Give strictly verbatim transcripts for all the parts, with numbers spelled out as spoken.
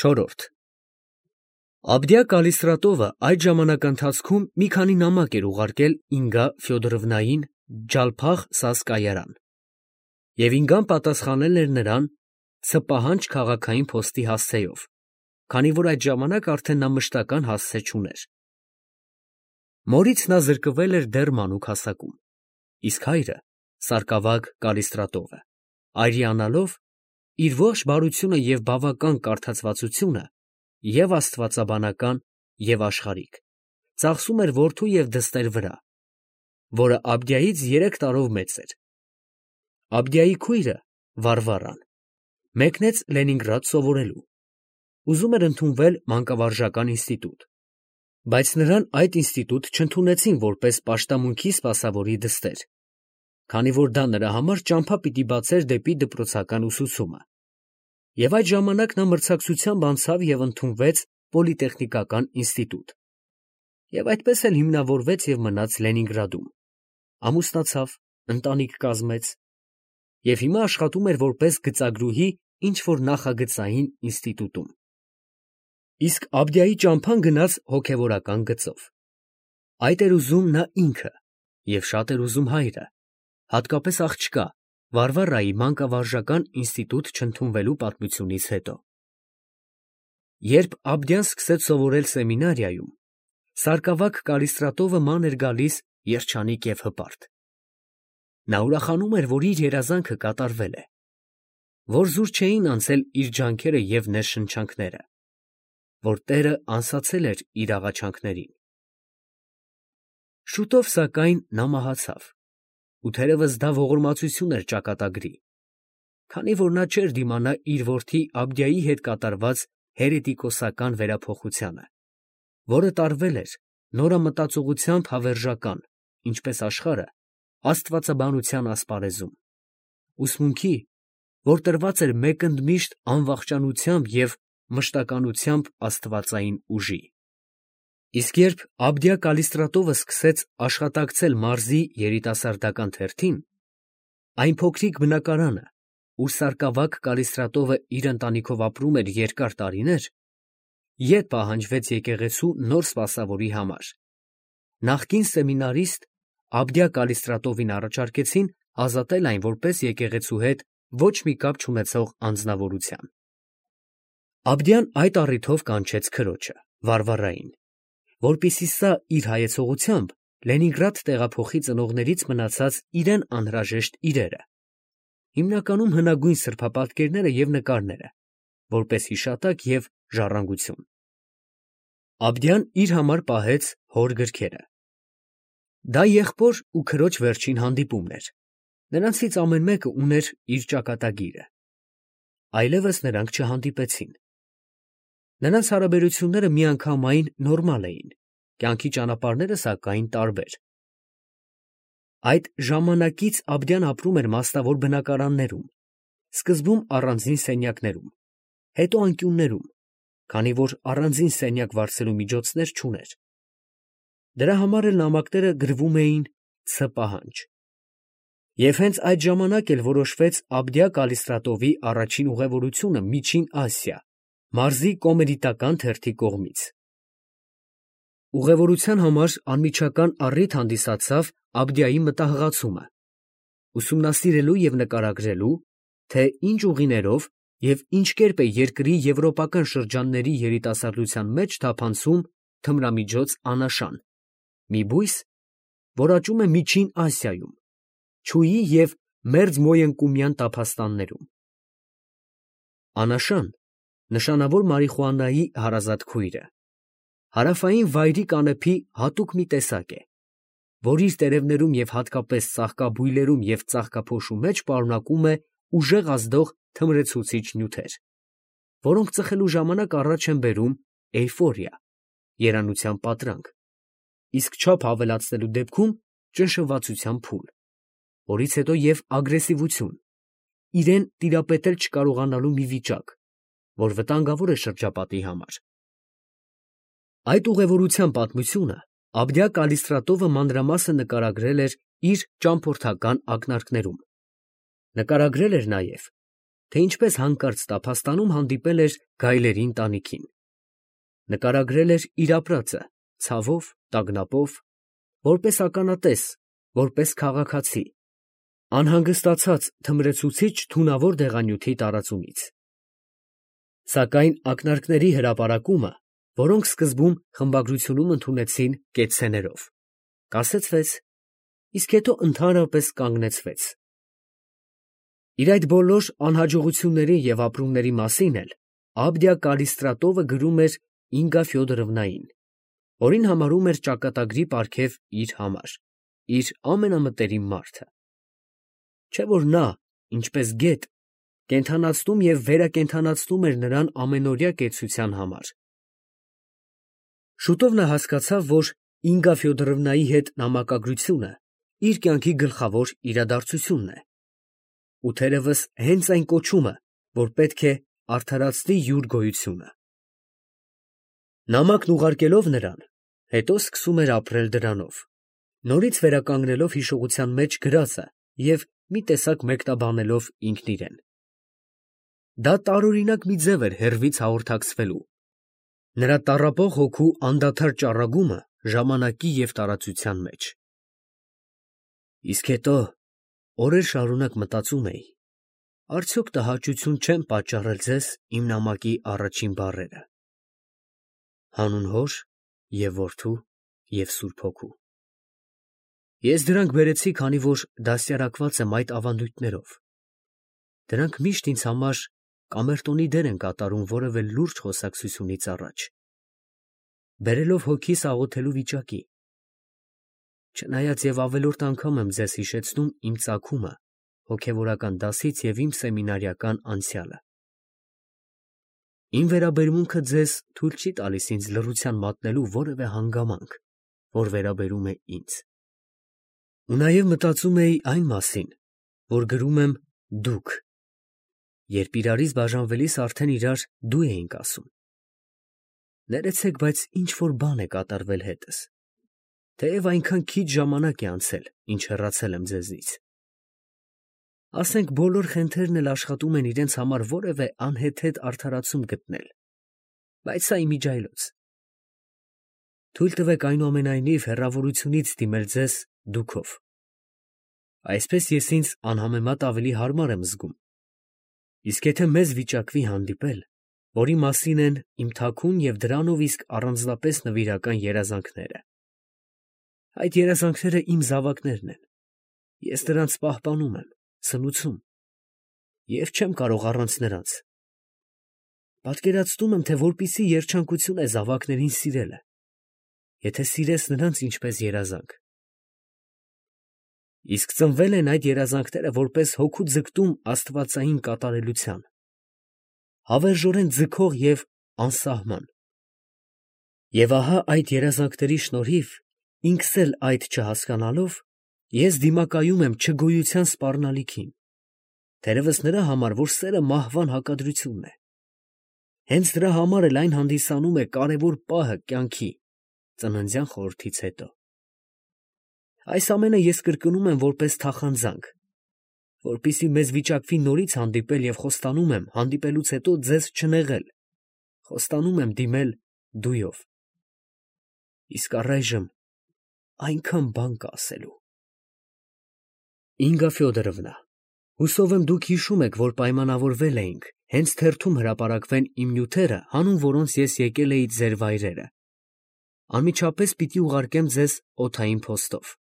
Չորրորդ Աբդիա Կալիստրատովը այդ ժամանակընթացքում մի քանի նամակ էր ուղարկել Ինգա Ֆյոդորովնային Ջալփախ Սազ կայարան, և Ինգան պատասխանել էր նրան ցպահանջ քաղաքային փոստի հասցեով, քանի որ այդ ժամանակ արդեն նա մշտական հասցե չուներ։ Մորից նա զրկվել էր դեռ մանուկ հասակում, իսկ հայրը՝ Սարգսակ Կալիստրատովը, արիանալով, իր ողջ բարությունը և բավական կարդացվածությունը և՛ աստվածաբանական, և՛ աշխարհիկ, ծախսում էր որդու և դստեր վրա, որը Աբդիայից երեք տարով մեծ էր։ Աբդիայի քույրը՝ Վարվառան, մեկնեց Լենինգրադ սովորելու, ուզում էր ընդունվել մանկավարժական ինստիտուտ, բայց նրան այդ ինստիտուտ չընդունեցին որպես պաշտամունքի սպասավորի դստեր, քանի որ դա նրա համար ճամփա պիտի բացեր դեպի դպրոցական ուսուցումը, և այդ ժամանակ նա մրցակցությամբ անցավ և ընդունվեց պոլիտեխնիկական ինստիտուտ, և այդպես էլ հիմնավորվեց և մնաց Լենինգրադում, ամուսնացավ, ընտանիք կազմեց և հիմա աշխատում էր որպես գծագրուհի ինչ֊որ նախագծային ինստիտուտում։ Իսկ Աբդիայի ճամփան գնաց հոգևորական գծով։ Այդ էր ուզում նա ինքը և շատ էր ուզում հայրը, հատկապես աղջկա Վարվառայի մանկավարժական ինստիտուտ չընդունվելու պատմությունից հետո։ Երբ Աբդիան սկսեց սովորել սեմինարիայում, Սարգսակ Կալիստրատովը ման էր գալիս երջանիկ և հպարտ։ Նա ուրախանում էր, որ իր երազանքը կատարվել է, որ զուր չէին անցել իր ջանքերը և ներշնչանքները, որ Տերը անսացել էր իր աղաչանքներին։ Շուտով, սակայն, նա մահացավ, ու թերևս դա ողորմածություն էր ճակատագրի, քանի որ նա չէր դիմանա իր որդի Աբդիայի հետ կատարված հերետիկոսական վերափոխությանը, որը տարվել էր նորամտածողությամբ հավերժական, ինչպես աշխարհը, աստվածաբանության ասպարեզում, ուսմունքի, որ տրված էր մեկընդմիշտ անվախճանությամբ և մշտականությամբ աստվածային ուժի։ Իսկ երբ Աբդիա Կալիստրատովը սկսեց աշխատակցել մարզի երիտասարդական թերթին, այն փոքրիկ բնակարանը, ուր Սարգսակ Կալիստրատովը իր ընտանիքով ապրում էր երկար տարիներ, ետ պահանջվեց եկեղեցու նոր սպասավորի համար, նախկին սեմինարիստ Աբդիա Կալիստրատովին առաջարկեցին ազատել այն որպես եկեղեցու հետ ոչ մի կապ չունեցող անձնավորության։ Աբդիան այդ առիթով կանչեց քրոջը՝ Վարվառային, որպեսզի սա իր հայեցողությամբ Լենինգրադ տեղափոխի ծնողներից մնացած իրան անհրաժեշտ իրերը, հիմնականում հնագույն սրբապատկերները և նկարները, որպես հիշատակ և ժառանգություն։ Աբդիան իր համար պահեց հոր գրքերը։ Դա եղբոր ու քրոջ վերջին հանդիպումն էր, նրանցից ամեն մեկը ուներ իր ճակատագիրը։ Այլևս նրանք չհանդիպեցին։ Նրանց հարաբերությունները միանգամայն նորմալ էին, կյանքի ճանապարհները, սակայն, տարբեր։ Այդ ժամանակից Աբդիան ապրում էր մասնավոր բնակարաններում, սկզբում առանձին սենյակներում, հետո անկյուններում, քանի որ առանձին սենյակ վարձելու միջոցներ չուներ։ Դրա համար էլ նամակները գրվում էին «Ց» պահանջ։ Եվ հենց այդ ժամանակ էլ որոշվեց Աբդիա Կալիստրատովի առաջին ուղևորությունը Միջին Ասիա, մարզի կոմերիտական թերթի կողմից։ Ուղևորության համար անմիջական առիթ հանդիսացավ Աբդիայի մտահղացումը, ուսումնասիրելու և նկարագրելու, թե ինչ ուղիներով և ինչ կերպ է երկրի եվրոպական շրջանների երիտասարդության մեջ թափանցում թմրամիջոց անաշան, մի բույս, որ աճում է Միջին Ասիայում, չուի և մերձմոյընկումյան տափաստաններում։ Անաշան, նշանավոր մարիխուանայի հարազատ քույրը, հարավային վայրի կանեփի հատուկ մի տեսակ է, որ իր տերևներում և հատկապես ծաղկաբույլերում և ծաղկափոշու մեջ պարունակում է ուժեղ ազդող թմրեցուցիչ նյութեր, որոնք ծխելու ժամանակ առաջ են բերում էյֆորիա, երանության պատրանք, իսկ չափ ավելացնելու դեպքում ճնշվածության փուլ, որից հետո և ագրեսիվություն, իրեն տիրապետել չկարողանալու մի վիճակ, որ վտանգավոր է շրջապատի համար։ Այդ ուղևորության պատմությունը Աբդիա Կալիստրատովը մանրամասն նկարագրել էր իր ճամփորդական ակնարկներում։ Նկարագրել էր նաև, թե ինչպես հանկարծ տափաստանում հանդիպել էր գայլերի ընտանիքին. նկարագրել էր իր ապրածը ցավով, տագնապով, որպես ականատես, որպես քաղաքացի, անհանգստացած թմրեցուցիչ թունավոր դեղանյութի տարածումից։ Սակայն ակնարկների հրապարակումը, որոնք սկզբում խմբագրությունում ընդունեցին կեցցեներով, կասեցվեց, իսկ հետո ընդհանրապես կանգնեցվեց։ Իր այդ բոլոր անհաջողությունների և ապրումների մասին էլ Աբդիա Կալիստրատովը գրում էր Ինգա Ֆյոդորովնային, որին համարում էր ճակատագրի պարգև իր համար, իր ամենամտերիմ մարդը։ Չէ՞ որ նա, ինչպես գետ, կենդանացնում և վերակենդանացնում էր նրան ամենօրյա կեցության համար։ Շուտով նա հասկացավ, որ Ինգա Ֆյոդորովնայի հետ նամակագրությունը իր կյանքի գլխավոր իրադարձությունն է, ու թերևս հենց այն կոչումը, որ պետք է արդարացնի յուր գոյությունը։ Նամակն ուղարկելով նրան, հետո սկսում էր ապրել դրանով, նորից վերականգնելով հիշողության մեջ գրածը և մի տեսակ մեկնաբանելով ինքն իրեն։ Դա տարօրինակ մի ձև էր հեռվից հաղորդակցվելու, նրա տառապող հոգու անդադար ճառագումը ժամանակի և տարածության մեջ։ Իսկ հետո օրեր շարունակ մտածում էի. արդյոք տհաճություն չեն պատճառել ձեզ իմ նամակի առաջին բառերը. հանուն Հոր և Որդու և Սուրբ Հոգու։ Ես դրանք բերեցի, քանի որ դաստիարակված եմ այդ ավանդույթներով։ Դրանք միշտ ինձ համար կամերտոնի դեր են կատարում որևէ լուրջ խոսակցությունից առաջ, բերելով հոգիս աղոթելու վիճակի։ Չնայած և ավելորդ անգամ եմ ձեզ հիշեցնում իմ ծագումը հոգևորական դասից և իմ սեմինարիական անցյալը։ Իմ վերաբերմունքը ձեզ թույլ չի տալիս ինձ լռության մատնելու որևէ հանգամանք, որ վերաբերում է ինձ։ Ու նաև մտածում էի այն մասին, որ գրում եմ դուք, երբ իրարից բաժանվելիս արդեն իրար դու էինք ասում։ Ներեցեք, բայց ինչ֊որ բան է կատարվել հետս, թեև այնքան քիչ ժամանակ է անցել, ինչ հեռացել եմ ձեզնից։ Ասենք բոլոր խենթերն էլ աշխատում են իրենց համար որևէ անհեթեթ արդարացում գտնել, բայց սա իմիջիայլոց։ Թույլ տվեք այնուամենայնիվ հեռավորությունից դիմել ձեզ դուքով։ Այսպես ես ինձ անհամեմատ ավելի հարմար եմ զգում։ Իսկ եթե մեզ վիճակվի հանդիպել, որի մասին են իմ թաքուն և դրանով իսկ առանձնապես նվիրական երազանքները, այդ երազանքները իմ զավակներն են, ես դրանց պահպանում եմ, սնուցում և չեմ կարող առանց նրանց։ Պատկերացնում եմ, թե որպիսի երջանկություն է զավակներին սիրելը, եթե սիրես նրանց ինչպես երազանք։ Իսկ ծնվել են այդ երազանքները որպես հոգու ձգտում աստվածային կատարելության, հավերժորեն ձգող և անսահման։ Եվ ահա այդ երազանքների շնորհիվ, ինքս էլ այդ չհասկանալով, ես դիմակայում եմ չգոյության սպառնալիքին, թերևս նրա համար, որ սերը մահվան հակադրությունն է։ Հենց դրա համար էլ այն հանդիսանում է կարևոր պահը կյանքի, ծննդյան խորհրդից հետո։ Այս ամենը ես կրկնում եմ որպես թախանձանք, որպեսզի մեզ վիճակվի նորից հանդիպել և խոստանում եմ հանդիպելուց հետո ձեզ չնեղել, խոստանում եմ դիմել դույով։ Իսկ առայժմ այնքան բան կա ասելու։ Ինգա Ֆյոդորովնա, հուսով եմ դուք հիշում եք, որ պայմանավորվել էինք հենց թերթում հրապարակվեն իմ նյութերը, հանուն որոնց ես եկել էի ձեր վայրերը։ Անմիջապես պիտի ուղարկեմ ձեզ օդային փոստով։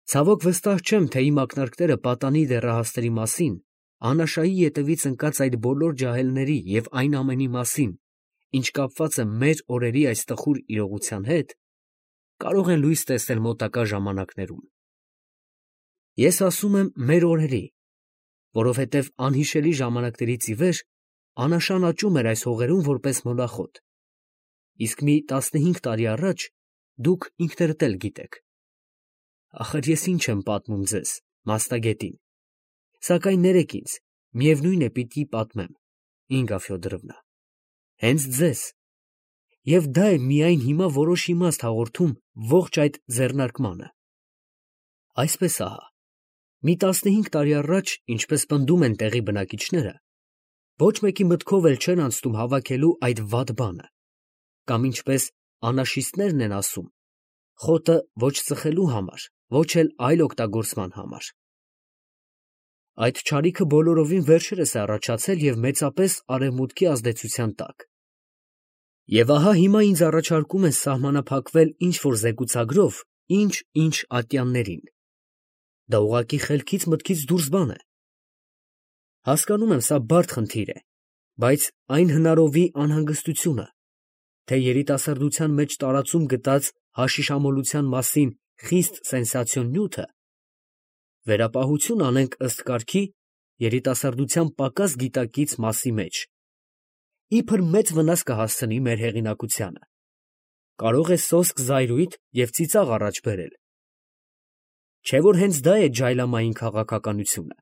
Ցավոք վստահ չեմ, թե իմ ակնարկները պատանի դեռահասների մասին, Անաշայի ետևից ընկած այդ բոլոր ջահելների և այն ամենի մասին, ինչ կապված է մեր օրերի այս տխուր իրողության հետ, կարող են լույս տեսնել մոտակա ժամանակներում։ Ես ասում եմ մեր օրերի, որովհետև անհիշելի ժամանակներից ի վեր Անաշան աճում էր այս հողերում որպես մոլախոտ, իսկ մի տասնհինգ տարի առաջ դուք ինքներդ էլ գիտեք։ Ախր ես ինչ եմ պատմում ձեզ, մասնագետին, սակայն ներեք ինձ, միևնույն է պիտի պատմեմ, Ինգա Ֆյոդորովնա, հենց ձեզ, և դա է միայն հիմա որոշ իմաստ հաղորդում ողջ այդ ձեռնարկմանը։ Այսպես ահա, Մի տասնհինգ տարի առաջ, ինչպես պնդում են տեղի բնակիչները, ոչ մեկի մտքով էլ չէր անցնում հավաքելու այդ վատ բանը, կամ ինչպես անաշիստներն են ասում, խոտը ոչ ծխելու համար, ոչ էլ այլ օգտագործման համար։ Այդ չարիքը բոլորովին վերջերս է առաջացել և մեծապես արևմուտքի ազդեցության տակ։ Եվ ահա հիմա ինձ առաջարկում են սահմանափակվել ինչ-որ զեկուցագրով ինչ-ինչ ատյաններին։ Դա ուղղակի խելքից մտքից դուրս բան է։ Հասկանում եմ, սա բարդ խնդիր է, բայց այն հնարովի անհանգստությունը, թե երիտասարդության մեջ տարածում գտած հաշիշամոլության մասին խիստ սենսացիոն նյութը, վերապահություն անենք ըստ կարգի երիտասարդության պակաս գիտակից մասի մեջ, իբր մեծ վնաս կհասցնի մեր հեղինակությանը, կարող է սոսկ զայրույթ և ծիծաղ առաջ բերել։ Չէ՞ որ հենց դա է ջայլամային քաղաքականությունը։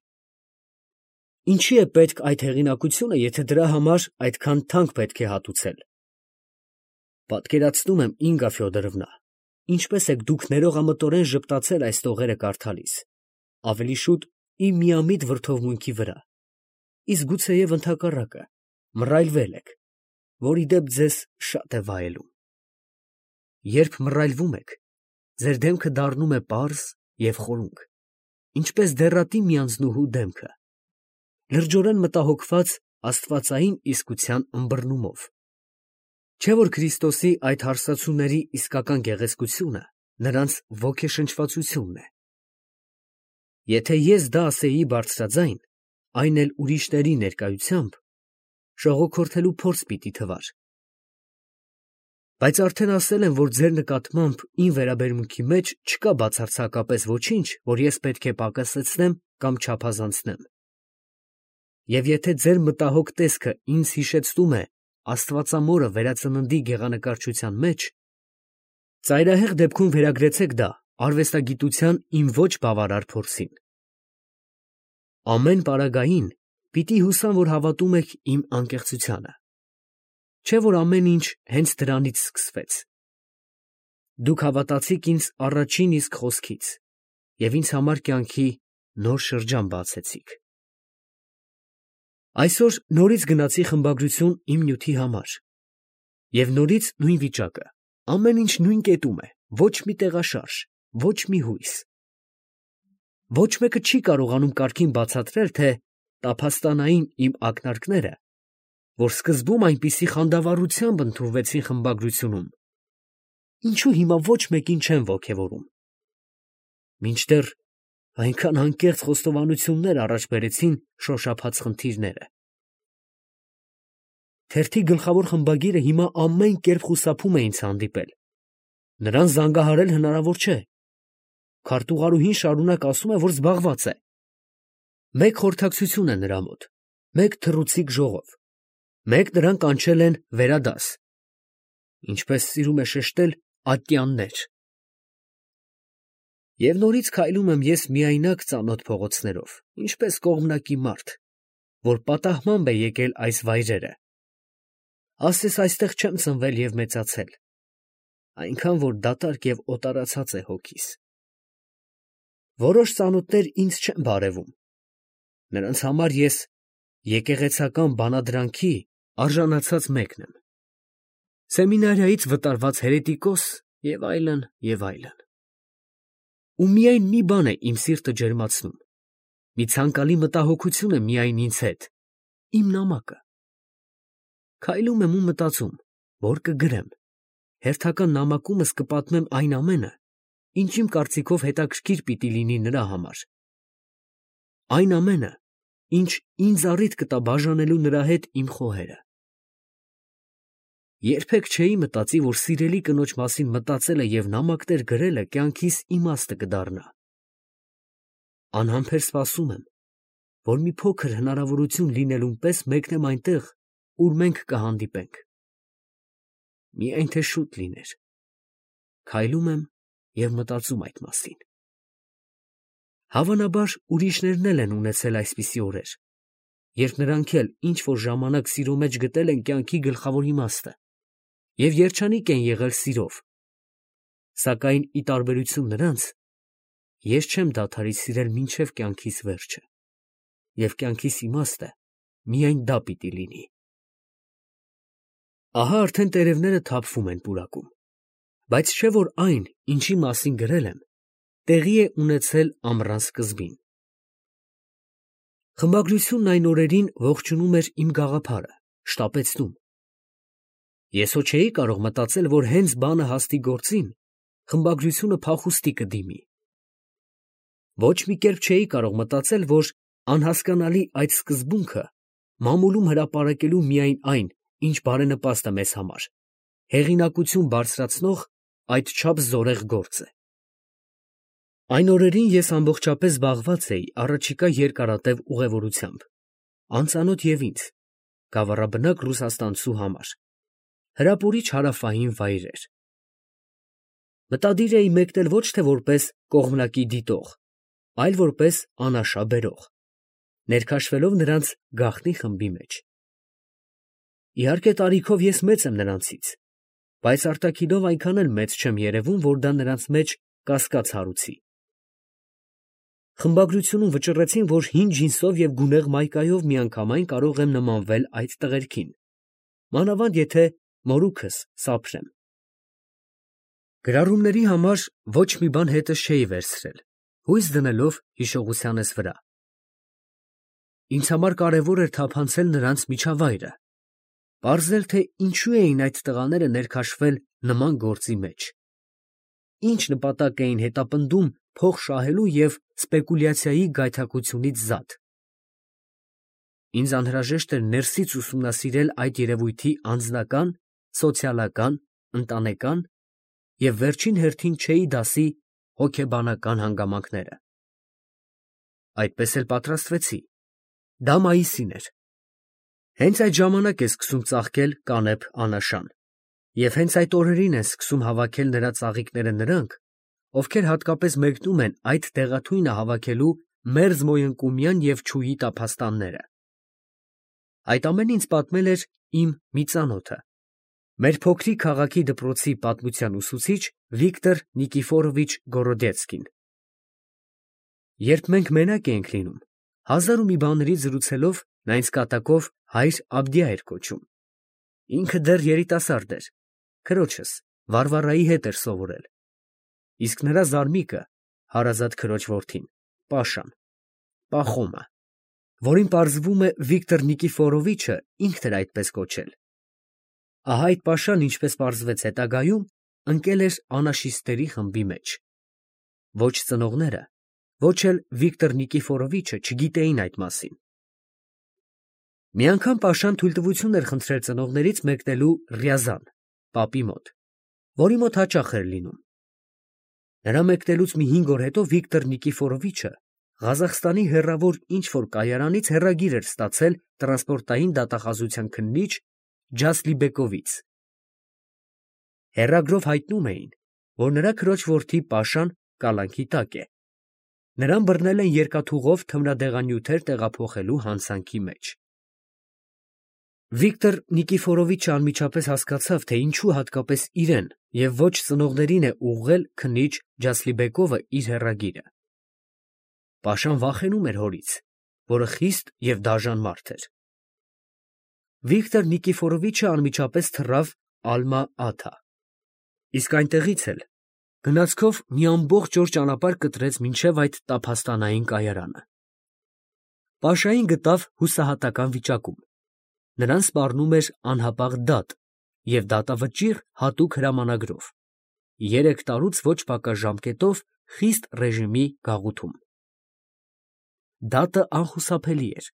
Ինչի է պետք այդ հեղինակությունը, եթե դրա համար այդքան թանկ պետք է հատուցել։ Պատկերացնում եմ, Ինգա Ֆյոդորովնա, ինչպես եք դուք ներողամտորեն ժպտացել այս տողերը կարդալիս, ավելի շուտ իմ միամիտ վրդովմունքի վրա, իսկ գուցեև ընդհակառակը, մռայլվել եք, որ ի դեպ ձեզ շատ է վայելում։ Երբ մռայլվում եք, ձեր դեմքը դառնում է պարզ և խորունկ, ինչպես դեռատի մի անձնուհու դեմքը, լրջորեն մտահոգված աստվածային իսկության ըմբռնումով։ Չէ՞ որ Քրիստոսի այդ հարսացուների իսկական գեղեցկությունը նրանց ոգեշնչվածությունն է։ Եթե ես դա ասեի բարձրաձայն, այն էլ ուրիշների ներկայությամբ, շողոքորթելու փորձ պիտի թվար։ Բայց արդեն ասել եմ, որ ձեր նկատմամբ իմ վերաբերմունքի մեջ չկա բացարձակապես ոչինչ, որ ես պետք է պակասեցնեմ կամ չափազանցնեմ։ Եվ եթե ձեր մտահոգ տեսքը ինձ հիշեցնում է Աստվածամորը վերածննդի գեղանկարչության մեջ, ծայրահեղ դեպքում վերագրեցեք դա արվեստագիտության իմ ոչ բավարար փորձին։ Ամեն պարագային պիտի հուսամ, որ հավատում եք իմ անկեղծությանը։ Չէ՞ որ ամեն ինչ հենց դրանից սկսվեց։ Դուք հավատացիք ինձ առաջին իսկ խոսքից և ինձ համար կյանքի նոր շրջան բացեցիք։ Այսօր նորից գնացի խմբագրություն իմ նյութի համար, և նորից նույն վիճակը, ամեն ինչ նույն կետում է, ոչ մի տեղաշարժ, ոչ մի հույս։ Ոչ մեկը չի կարողանում կարգին բացատրել, թե տափաստանային իմ ակնարկները, որ սկզբում այնպիսի խանդավառությամբ ընդունվեցին խմբագրությունում, ինչու հիմա ոչ մեկին չեն ոգևորում, մինչդեռ այնքան անկեղծ խոստովանություններ առաջ բերեցին շոշափած խնդիրները։ Թերթի գլխավոր խմբագիրը հիմա ամեն կերպ խուսափում է ինձ հանդիպել, նրան զանգահարել հնարավոր չէ, քարտուղարուհին շարունակ ասում է, որ զբաղված է։ Մեկ խորհրդակցություն է նրա մոտ, մեկ թռուցիկ ժողով, մեկ նրան կանչել են վերադաս, ինչպես սիրում է շեշտել, ատյաններ։ Եվ նորից քայլում եմ ես միայնակ ծանոթ փողոցներով, ինչպես կողմնակի մարդ, որ պատահմամբ է եկել այս վայրերը։ Ասես այստեղ չեմ ծնվել և մեծացել, այնքան որ դատարկ և օտարացած է հոգիս։ Որոշ ծանոթներ ինձ չեն բարևում, նրանց համար ես եկեղեցական բանադրանքի արժանացած մեկն եմ, սեմինարիայից վտարված հերետիկոս և այլն, և այլն։ Ու միայն մի բան է իմ սիրտը ջերմացնում, մի ցանկալի մտահոգություն է միայն ինձ հետ, իմ նամակը։ Քայլում եմ ու մտածում, որ կգրեմ, հերթական նամակումս կպատմեմ այն ամենը, ինչ իմ կարծիքով հետաքրքիր պիտի լինի նրա համար, այն ամենը, ինչ ինձ առիթ կտա բաժանելու նրա հետ իմ խոհերը։ Երբեք չէի մտածի, որ սիրելի կնոջ մասին մտածելը և նամակներ գրելը կյանքիս իմաստը կդառնա։ Անհամբեր սպասում եմ, որ մի փոքր հնարավորություն լինելուն պես մեկնեմ այնտեղ, ուր մենք կհանդիպենք։ Միայն թե շուտ լիներ։ Քայլում եմ և մտածում այդ մասին։ Հավանաբար ուրիշներն էլ են ունեցել այսպիսի օրեր, երբ նրանք էլ ինչ֊որ ժամանակ սիրո մեջ գտել են կյանքի գլխավոր իմաստը և երջանիկ են եղել սիրով, սակայն ի տարբերություն նրանց, ես չեմ դադարի սիրել մինչև կյանքիս վերջը, և կյանքիս իմաստը միայն դա պիտի լինի։ Ահա արդեն տերևները թափվում են պուրակում, բայց չէ՞ որ այն, ինչի մասին գրել եմ, տեղի է ունեցել ամռան սկզբին։ Խմբագրությունն այն օրերին ողջունում էր իմ գաղափարը, շտապեցնում։ Ես հո չէի կարող մտածել, որ հենց բանը հասնի գործին, խմբագրությունը փախուստի կդիմի։ Ոչ մի կերպ չէի կարող մտածել, որ անհասկանալի այդ սկզբունքը մամուլում հրապարակելու միայն այն, ինչ բարենպաստ է մեզ համար, հեղինակություն բարձրացնող այդչափ զորեղ գործ է։ Այն օրերին ես ամբողջապես զբաղված էի առաջիկա երկարատև ուղևորությամբ, անծանոթ և ինձ, գավառաբնակ ռուսաստանցու համար, հրապուրիչ հարավային վայրեր։ Մտադիր էի մեկնել ոչ թե որպես կողմնակի դիտող, այլ որպես անաշա բերող, ներքաշվելով նրանց գաղտնի խմբի մեջ։ Իհարկե տարիքով ես մեծ եմ նրանցից, բայց արտաքինով այնքան էլ մեծ չեմ երևում, որ դա նրանց մեջ կասկած հարուցի։ Խմբագրությունում վճռեցին, որ հին ջինսով և գունեղ մայկայով միանգամայն կարող եմ նմանվել այդ տղերքին, մանավանդ եթե մորուքս սափրեմ։ Գրառումների համար ոչ մի բան հետս չէի վերցրել, հույս դնելով հիշողությանս վրա։ Ինձ համար կարևոր էր թափանցել նրանց միջավայրը, պարզել, թե ինչու էին այդ տղաները ներքաշվել նման գործի մեջ, ինչ նպատակ էին հետապնդում փող շահելու և սպեկուլյացիայի գայթակղությունից զատ։ Ինձ անհրաժեշտ էր ներսից ուսումնասիրել այդ երևույթի անձնական, սոցիալական, ընտանեկան և վերջին հերթին չէի դասի հոգեբանական հանգամանքները։ Այդպես էլ պատրաստվեցի։ Դա մայիսին էր։ Հենց այդ ժամանակ է սկսում ծաղկել կանեփ անաշան, և հենց այդ օրերին են սկսում հավաքել նրա ծաղիկները նրանք, ովքեր հատկապես մեկնում են այդ դեղաթույնը հավաքելու մերձմոյընկումյան և չուի տափաստանները։ Այդ ամենը ինձ պատմել էր իմ մի ծանոթը, մեր փոքրիկ քաղաքի դպրոցի պատմության ուսուցիչ Վիկտոր Նիկիֆորովիչ Գորոդեցկին։ Երբ մենք մենակ էինք լինում, հազար ու մի բաներից զրուցելով, նա ինձ կատակով հայր Աբդիա էր կոչում։ Ինքը դեռ երիտասարդ էր, քրոջս Վարվարայի հետ էր սովորել, իսկ նրա զարմիկը, հարազատ քրոջ որդին, Պաշան, Պախոմը, որին պարզվում է Վիկտոր Նիկիֆորովիչը ինքն էր այդպես կոչել։ Ահա այդ Պաշան, ինչպես պարզվեց հետագայում, ընկել էր անաշիստերի խմբի մեջ։ Ոչ ծնողները, ոչ էլ Վիկտոր Նիկիֆորովիչը չգիտեին այդ մասին։ Մի անգամ Պաշան թույլտվություն էր խնդրել ծնողներից մեկնելու Ռյազան, պապի մոտ, որի մոտ հաճախ էր լինում։ Նրա մեկնելուց մի հինգ օր հետո Վիկտոր Նիկիֆորովիչը Ղազախստանի հեռավոր ինչ֊որ կայարանից հեռագիր էր ստացել տրանսպորտային դատախազության քննիչ Ջասլիբեկովից։ Հեռագրով հայտնում էին, որ նրա քրոջ որդի Պաշան կալանքի տակ է։ Նրան բռնել են երկաթուղով թմրադեղանյութեր տեղափոխելու հանցանքի մեջ։ Վիկտոր Նիկիֆորովիչը անմիջապես հասկացավ, թե ինչու հատկապես իրեն և ոչ ծնողներին է ուղղել քննիչ Ջասլիբեկովը իր հեռագիրը։ Պաշան վախենում էր հորից, որը խիստ և դաժան մարդ էր։ Վիկտոր Նիկիֆորովիչը անմիջապես թռավ Ալմա֊Աթա, իսկ այնտեղից էլ գնացքով մի ամբողջ օր ճանապարհ կտրեց մինչև այդ տափաստանային կայարանը։ Պաշային գտավ հուսահատական վիճակում, նրան սպառնում էր անհապաղ դատ և դատավճիռ հատուկ հրամանագրով, երեք տարուց ոչ պակաս ժամկետով խիստ ռեժիմի գաղութում։ Դատը անխուսափելի էր,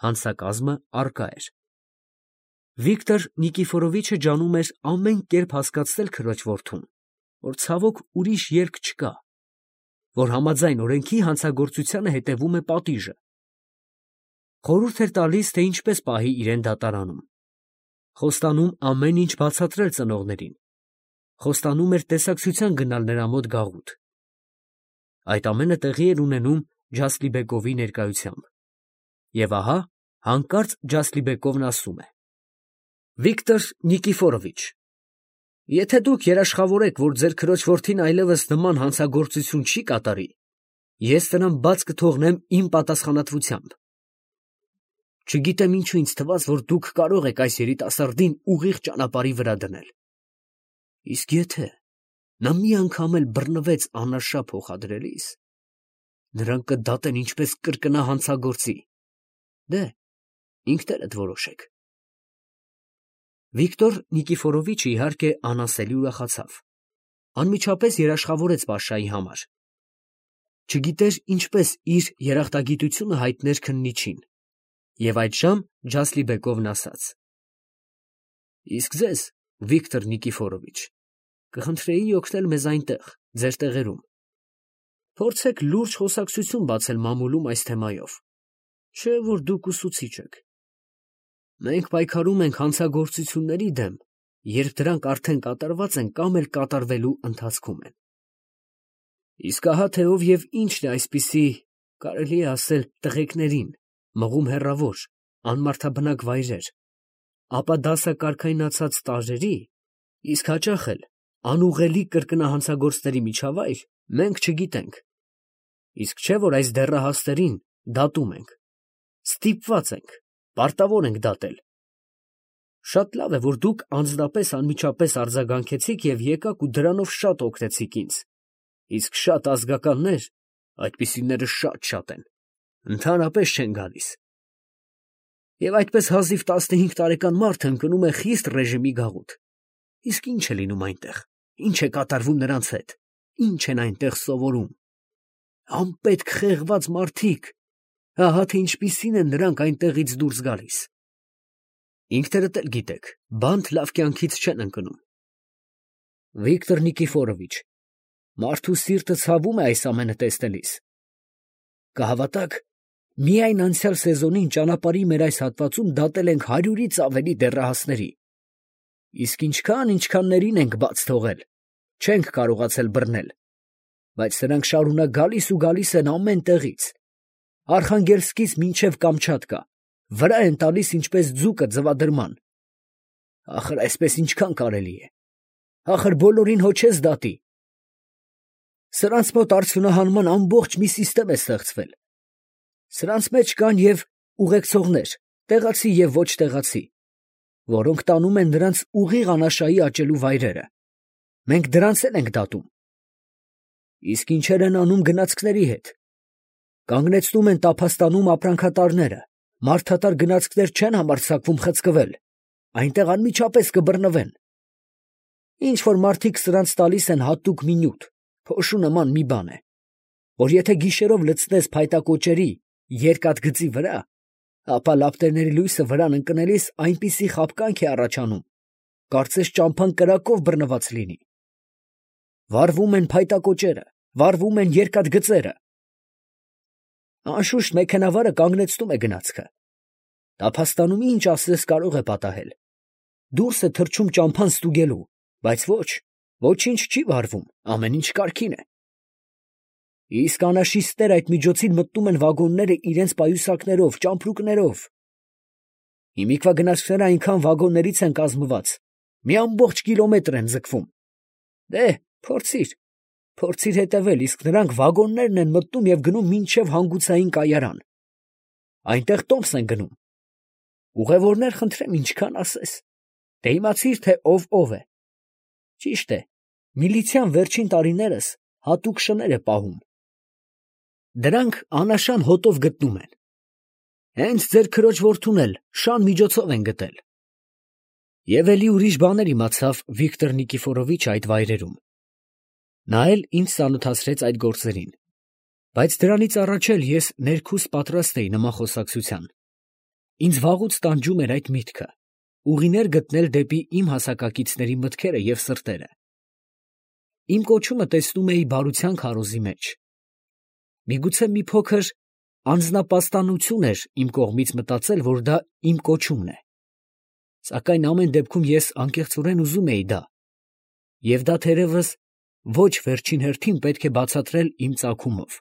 հանցակազմը առկա էր։ Վիկտոր Նիկիֆորովիչը ջանում էր ամեն կերպ հասկացնել քրոջ որդուն, որ ցավոք ուրիշ ելք չկա, որ համաձայն օրենքի հանցագործությանը հետևում է պատիժը։ Խորհուրդ էր տալիս, թե ինչպես պահի իրեն դատարանում, խոստանում ամեն ինչ բացատրել ծնողներին, խոստանում էր տեսակցության գնալ նրա մոտ գաղութ։ Այդ ամենը տեղի էր ունենում Ջասլիբեկովի ներկայությամբ։ Եվ ահա հանկարծ Ջասլիբեկովն ասում է. Վիկտոր Նիկիֆորովիչ, եթե դուք երաշխավորեք, որ ձեր քրոջ որդին այլևս նման հանցագործություն չի կատարի, ես նրան բաց կթողնեմ իմ պատասխանատվությամբ։ Չգիտեմ ինչու ինձ թվաց, որ դուք կարող եք այս երիտասարդին ուղիղ ճանապարհի վրա դնել։ Իսկ եթե նա մի անգամ էլ բռնվեց անարշա փոխադրելիս, նրանք կդատեն ինչպես կրկնա հանցագործի։ Դե, ինքներդ որոշեք։ Վիկտոր Նիկիֆորովիչը իհարկե անասելի ուրախացավ, անմիջապես երաշխավորեց Պաշայի համար։ Չգիտեր ինչպես իր երախտագիտությունը հայտներ քննիչին, և այդժամ Ջասլիբեկովն ասաց. Իսկ ձեզ, Վիկտոր Նիկիֆորովիչ, կխնդրեի օգնել մեզ այնտեղ, ձեր տեղերում։ Փորձեք լուրջ խոսակցություն բացել մամուլում այս թեմայով, չէ՞ որ դուք ուսուցիչ եք։ Մենք պայքարում ենք հանցագործությունների դեմ, երբ դրանք արդեն կատարված են կամ էլ կատարվելու ընթացքում են։ Իսկ ահա թե ով և ինչն է այսպիսի, կարելի է ասել, տղեկներին, մղում հեռավոր, անմարդաբնակ վայրեր, ապա դասակարգայնացած տարրերի, իսկ հաճախ էլ անուղղելի կրկնահանցագործների միջավայր, մենք չգիտենք։ Իսկ չէ՞ որ այս դեռահասներին դատում ենք, ստիպված ենք, պարտավոր ենք դատել։ Շատ լավ է, որ դուք անձնապես անմիջապես արձագանքեցիք և եկաք ու դրանով շատ օգնեցիք ինձ, իսկ շատ ազգականներ, այդպիսիները շատ֊շատ են, ընդհանրապես չեն գալիս։ Եվ այդպես հազիվ տասնհինգ տարեկան մարդը ընկնում է խիստ ռեժիմի գաղութ։ Իսկ ի՞նչ է լինում այնտեղ, ի՞նչ է կատարվում նրանց հետ, ի՞նչ են այնտեղ սովորում։ Անպետք խեղված մարդիկ, ահա թե ինչպիսին են նրանք այնտեղից դուրս գալիս։ Ինքներդ էլ գիտեք, բանտ լավ կյանքից չեն ընկնում։ Վիկտոր Նիկիֆորովիչ, մարդու սիրտը ցավում է այս ամենը տեսնելիս։ Կհավատաք, միայն անցյալ սեզոնին ճանապարհի մեր այս հատվածում դատել ենք հարյուրից ավելի դեռահասների։ Իսկ ինչքան ինչքաններին ենք բաց թողել, չենք կարողացել բռնել, բայց սրանք շարունակ գալիս ու գալիս են ամեն տեղից, Արխանգելսկից մինչև Կամչատկա, վրա են տալիս ինչպես ձուկը ձվադրման։ Ախր այսպես ինչքան կարելի է, ախր բոլորին հո չես դատի։ Սրանց մոտ արդյունահանման ամբողջ մի սիստեմ է ստեղծվել։ Սրանց մեջ կան և ուղեկցողներ, տեղացի և ոչ տեղացի, որոնք տանում են նրանց ուղիղ անաշայի աճելու վայրերը։ Մենք դրանց էլ ենք դատում։ Իսկ ինչեր են անում գնացքների հետ։ Կանգնեցնում են տափաստանում ապրանքատարները, մարդատար գնացքներ չեն համարձակվում խցկվել, այնտեղ անմիջապես կբռնվեն։ Ինչ որ մարդիկ սրանց տալիս են հատուկ մի նյութ, փոշու նման մի բան է, որ եթե գիշերով լցնես փայտակոճերի երկաթգծի վրա, ապա լապտերների լույսը վրան ընկնելիս այնպիսի խաբկանք է առաջանում, կարծես ճամփան կրակով բռնված լինի։ Վառվում են փայտակոճերը, վառվում են երկաթգծերը։ Անշուշտ մեքենավարը կանգնեցնում է գնացքը։ Տափաստանում ինչ ասես կարող է պատահել։ Դուրս է թռչում ճամփան ստուգելու, բայց ոչ, ոչինչ չի վառվում, ամեն ինչ կարգին է։ Իսկ անաշիստներ այդ միջոցին մտնում են վագոնները իրենց պայուսակներով, ճամպրուկներով։ Հիմիկվա գնացքները այնքան վագոններից են կազմված, մի ամբողջ կիլոմետր են ձգվում։ Դե, փորձիր, փորձիր հետևել, իսկ նրանք վագոններն են մտնում և գնում մինչև հանգուցային կայարան։ Այնտեղ տոմս են գնում։ Ուղևորներ խնդրեմ ինչքան ասես, դե իմացիր, թե ով ով է։ Ճիշտ է, միլիցիան վերջին տարիներս հատուկ շներ է պահում։ Դրանք անաշան հոտով գտնում են։ Հենց ձեր քրոջ որդուն էլ շան միջոցով են գտել։ Եվ էլի ուրիշ բաներ իմացավ Վիկտոր Նիկիֆորովիչը այդ վայրերում։ Նա էլ ինձ ծանոթացրեց այդ գործերին, բայց դրանից առաջ էլ ես ներքուստ պատրաստ էի նման խոսակցության։ Ինձ վաղուց տանջում էր այդ միտքը, ուղիներ գտնել դեպի իմ հասակակիցների մտքերը և սրտերը։ Իմ կոչումը տեսնում էի բարության քարոզի մեջ։ Միգուցե մի փոքր անձնապաստանություն էր իմ կողմից մտածել, որ դա իմ կոչումն է։ Սակայն ամեն դեպքում ես անկեղծորեն ուզում էի դա, և դա թերևս ոչ վերջին հերթին պետք է բացատրել իմ ծագումով։